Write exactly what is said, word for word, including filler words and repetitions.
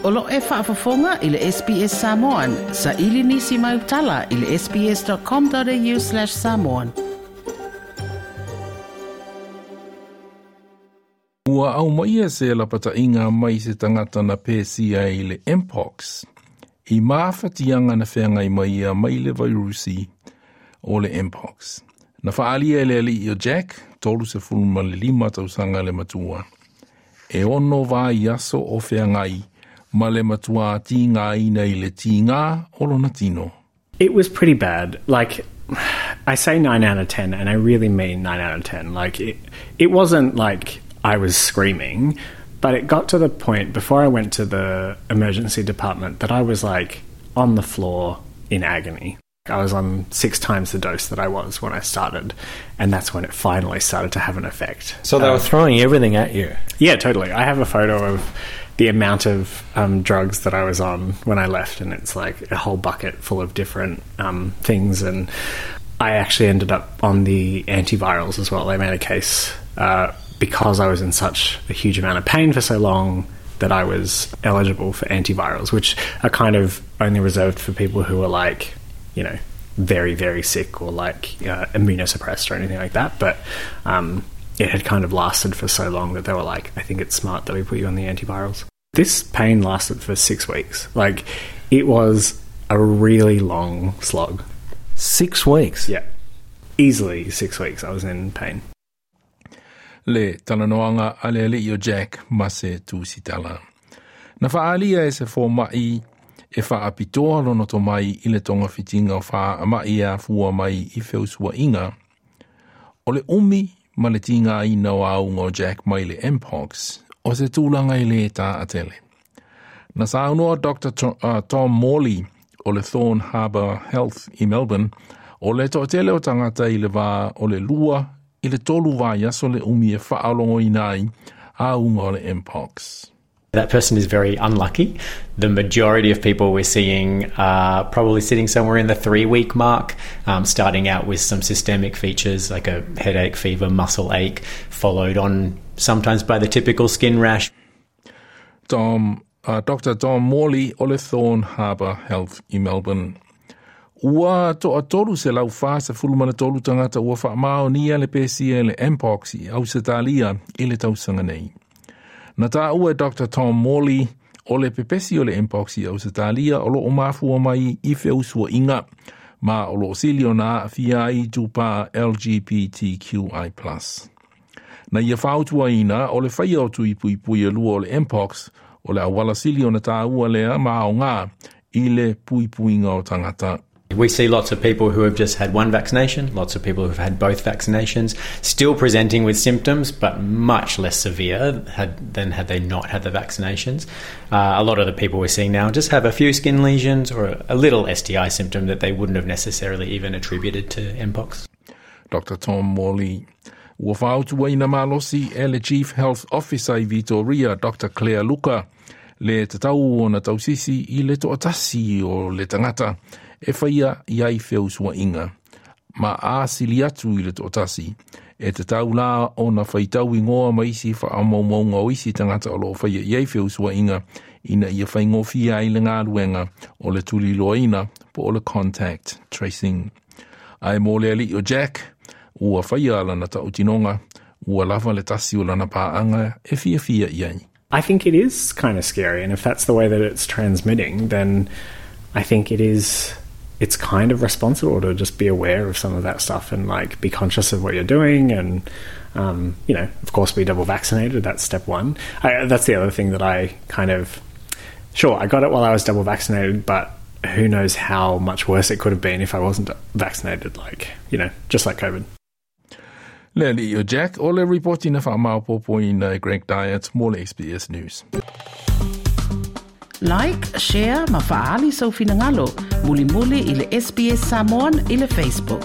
O lo e faafofoga i le S B S Samoan, sa ili nisi mai utala i le S B S dot com dot A U slash samoan. Ua aumaia se lapata'iga mai se tagata na pesia i le Mpox i mafatiaga na feagai mai ia mai le vairusi o le Mpox. Na fa'aalia e le ali'i o Jack, tolu sefulu ma le lima tausaga le matua. E ono vaiaso o feagai ma le matuā tigāina i le tigā o lona tino. It was pretty bad. Like, I say nine out of ten, and I really mean nine out of ten. Like, it, it wasn't like I was screaming, but it got to the point before I went to the emergency department that I was like on the floor in agony. I was on six times the dose that I was when I started, and that's when it finally started to have an effect. So they were throwing everything at you. Yeah, totally. I have a photo of the amount of um, drugs that I was on when I left, and it's like a whole bucket full of different um, things. And I actually ended up on the antivirals as well. They made a case uh, because I was in such a huge amount of pain for so long that I was eligible for antivirals, which are kind of only reserved for people who are like, you know, very, very sick or like uh, immunosuppressed or anything like that. But um, it had kind of lasted for so long that they were like, "I think it's smart that we put you on the antivirals." This pain lasted for six weeks. Like, it was a really long slog. Six weeks? Yeah. Easily six weeks I was in pain. Le talanoaga a le ali'i o Jack ma se tusitala. Na fa'aalia e se foma'i e fa'apitoa lona tomai i le togafitiga o fa'ama'i e afua mai i feusua'iga. O le umi ma le tigāina o auga o Jack mai le Mpox, o se tulaga e lē ta'atele. Na saunoa Doctor uh, Tom Morley o le Thorne Harbour Health i Melbourne, o le to'atele o tagata i le vā o le lua i le tolu vaiaso le umi e fa'alogoina ai auga o le Mpox. That person is very unlucky. The majority of people we're seeing are probably sitting somewhere in the three week mark, um, starting out with some systemic features like a headache, fever, muscle ache, followed on sometimes by the typical skin rash. Tom, uh, Doctor Tom Morley o le Thorne Harbour Health i Melbourne. Ua to'atolu selau fasefulu ma le tolu tagata ua fa'amaonia le pesia le Mpox i Ausetalia i le tausaga nei. Na tāua e Doctor Tom Morley o le pepesi o le Mpox i Ausetalia o lo'o mafua mai i feusua'iga ma o lo'o sili ona a'afia ai tupā L G B T Q I plus. Na ia fautuaina o le faia o tui puipui e lua o le Mpox o le auala sili ona tāua lea ma aogā i le puipuiga o tagata. We see lots of people who have just had one vaccination, lots of people who've had both vaccinations, still presenting with symptoms, but much less severe had, than had they not had the vaccinations. Uh, a lot of the people we're seeing now just have a few skin lesions or a, a little S T I symptom that they wouldn't have necessarily even attributed to Mpox. Doctor Tom Morley. Ua fautuaina malosi e le Chief Health Officer i Victoria, Doctor Claire Luca, le tatau ona tausisi i le to'atasi o le tagata e faia i ai feusua'iga. Ma a sili atu i le to'atasi, e tatau la ona faitau igoa ma isi fa'amaumauga o isi tagata o lo'o faia i ai feusua'iga ina ia faigofie ai le galuega o le tuliloaina po o le contact tracing. Ae mo le ali'i o Jack, ua faia lana ta'utinoga, ua lava le tasi o lana pa'aga e fiafia i ai. I think it is kind of scary, and if that's the way that it's transmitting, then I think it is it's kind of responsible to just be aware of some of that stuff and like be conscious of what you're doing and um, you know of course be double vaccinated. That's step one. I, that's the other thing that I kind of, sure, I got it while I was double vaccinated, but who knows how much worse it could have been if I wasn't vaccinated, like, you know just like COVID. Le ali'i o Jack o le ripoti na fa'amaopopoina e Greg Diet mo le S B S News. Like, share ma fa'aali sou finagalo. Mulimuli i le S B S Samoan i le Facebook.